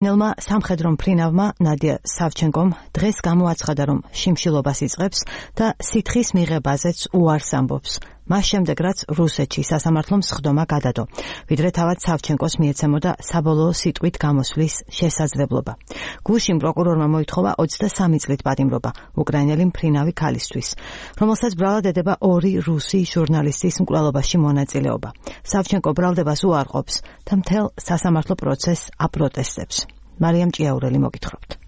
ნელმა სამხედრო მფრინავმა ნადია სავჩენკომ დღეს გამოაცხადა, რომ შიმშილობას იწყებს და სითხის მიღებაზეც უარს ამბობს. მას შემდეგ, რაც რუსეთში სასამართლომ სხდომა გადადო, ვიდრე თავად სავჩენკოს მიეცემოდა საბოლოო სიტყვით გამოსვლის შესაძლებლობა. გუშინ პროკურორმა მოითხოვა 23 წლით პატიმრობა უკრაინელი მფრინავი ქალისთვის, რომელსაც ბრალად ედება 2 რუსი ჟურნალისტის მკვლელობაში მონაწილეობა. სავჩენკო ბრალდებას უარყოფს და მთელ სასამართლო პროცესს აპროტესტებს. მარიამ ჭიაურელი მოგითხრობთ.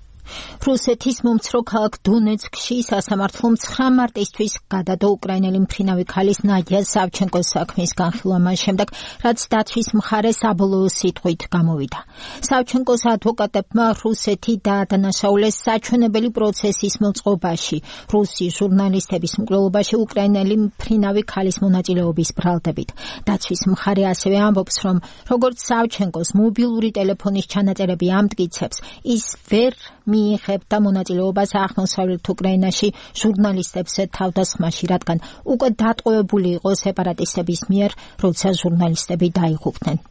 რუსეთის მომცრო ქალაქ დონეცკში სასამართლომ 9 მარტისთვის გადადო უკრაინელი მფრინავი ქალის ნადია სავჩენკოს საქმის განხილვა მას შემდეგ, რაც დაცვის მხარე საბოლოო სიტყვით გამოვიდა. სავჩენკოს ადვოკატებმა რუსეთი დაადანაშაულეს საჩვენებელი პროცესის მოწყობაში, რუსი ჟურნალისტების მკვლელობაში უკრაინელი მფრინავი ქალის მონაწილეობის ბრალდებით. დაცვის მხარე ასევე ამბობს, რომ როგორც სავჩენკოს მობილური ტელეფონის ჩანაწერები ამტკიცებს, ის ვერ მიიღებდა მონაწილეობას აღმოსავლეთ უკრაინაში ჟურნალისტებს თავდასხმაში, რადგან უკვე დატყვევებული იყო სეპარატისტების მიერ, როცა ჟურნალისტები დაიღუპნენ.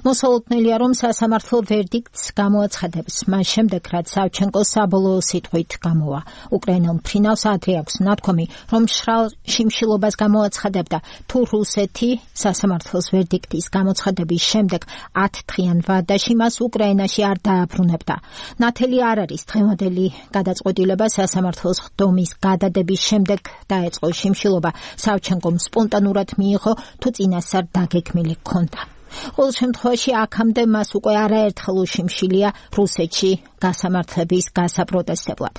მოსალოდნელია, რომ სასამართლო ვერდიქტს გამოაცხადებს მას შემდეგ, რაც სავჩენკო საბოლოო სიტყვით გამოვა. უკრაინელ მფრინავს ადრე აქვს ნათქვამი, რომ მშრალ შიმშილობას გამოაცხადებდა, თუ რუსეთი სასამართლოს ვერდიქტის გამოცხადების შემდეგ 10 დღიან ვადაში მას უკრაინაში არ დააბრუნებდა. ნათელი არ არის დღევანდელი გადაწყვეტილება სასამართლოს ხდომის გადადების შემდეგ დაეწყო შიმშილობა სავჩენკომ სპონტანურად მიიღო, თუ წინასწარ დაგეგმილი ჰქონდა. ყოველ შემთხვევაში აქამდე მას უკვე არაერთხელ უშიმშილია რუსეთში გასამართლების გასაპროტესტებლად.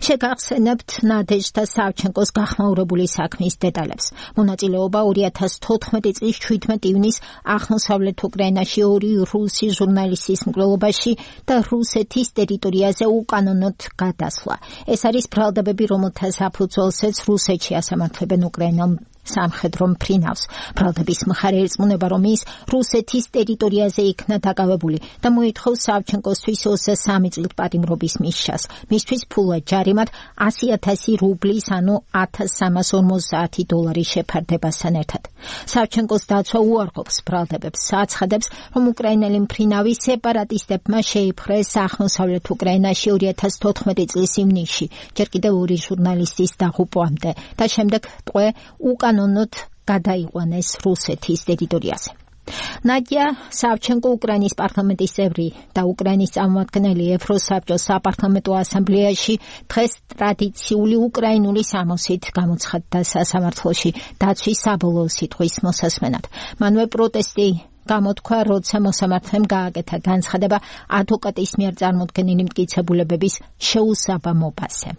შეგახსენებთ ნადეჟდა სავჩენკოს გახმაურებული საქმის დეტალებს. მონაწილეობა 2014 წლის 17 ივნის აღმოსავლეთ უკრაინაში 2 რუსი ჟურნალისტის მკვლელობაში და რუსეთის ტერიტორიაზე უკანონოდ გადასვლა. ეს არის ბრალდებები, რომელთა საფუძველზეც რუსეთში ასამართლებენ უკრაინელ სამხედრო მფრინავს. ბრალდების მხარე ერწმუნება, რომ ის რუსეთის ტერიტორიაზე იქნა დაკავებული და მოითხოვს სავჩენკოსთვის 23 წლით პატიმრობის მისჯას. მისთვის ფულად ჯარიმად 100,000 რუბლის, ანუ $1350 შეფარდებასთან ერთად. სავჩენკოს დაცვა უარყოფს ბრალდებებს, აცხადებს, რომ უკრაინელი მფრინავი სეპარატისტებმა შეიპყრეს აღმოსავლეთ უკრაინაში 2014 წლის ივნისში, ჯერ კიდევ 2 ჟურნალისტის დაღუპვამდე და შემდეგ ტყვე უკანონოდ გადაიყვანეს რუსეთის ტერიტორიაზე. ნადია სავჩენკო უკრაინის პარლამენტის წევრი და უკრაინის წარმომადგენელი ევროსაბჭოს საპარლამენტო ასამბლეაში დღეს ტრადიციული უკრაინული სამოსით გამოცხადდა სასამართლოში დაცვის საბოლოო სიტყვის მოსასმენად. მანვე პროტესტი გამოთქვა, როცა მოსამართლემ გააკეთა განცხადება ადვოკატის მიერ წარმოდგენილი მტკიცებულებების შეუსაბამობაზე.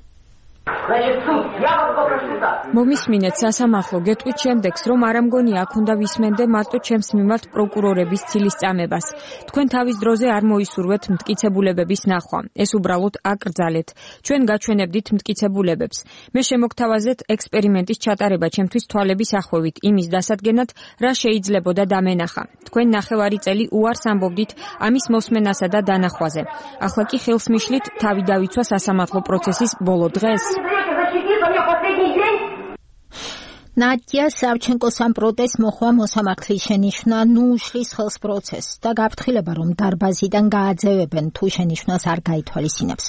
მომისმინეთ სასამართლო, გეტყვით შემდეგს, რომ არ ამგონია აქ უნდა ვისმენდე მარტო ჩემს მიმართ პროკურორების ცილის წამებას. თქვენ თავის დროზე არ მოისურვეთ მტკიცებულებების ნახვა. ეს უბრალოდ აკრძალეთ. ჩვენ გაჩვენებდით მტკიცებულებებს. მე შემოგთავაზეთ ექსპერიმენტის ჩატარება ჩემთვის თვალების ახვევით, იმის დასადგენად, რა შეიძლებოდა დამენახა. თქვენ ნახევარი წელი უარს ამბობდით ამის მოსმენასა და დანახვაზე. ახლა კი ხელს მიშლით თავი დავიცვა სასამართლო პროცესის ბოლო დღეს. ნადია სავჩენკოს ამ პროტესტს მოხვა მოსამართლის შენიშვნა ნუ უშლის ხელს პროცესს და გაფრთხილება, რომ დარბაზიდან გააძევებენ თუ შენიშვნას არ გაითვალისწინებს.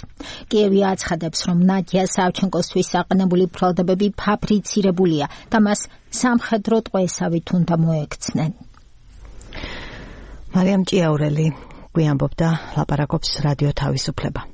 კიევი აცხადებს, რომ ნადია სავჩენკოსთვის საყენებული ბრალდებები ფაბრიცირებულია და მას სამხედრო ტყვესავით უნდა მოექცნენ. მარიამ ჭიაურელი გვიამბობდა, ლაპარაკობს რადიო თავისუფლება.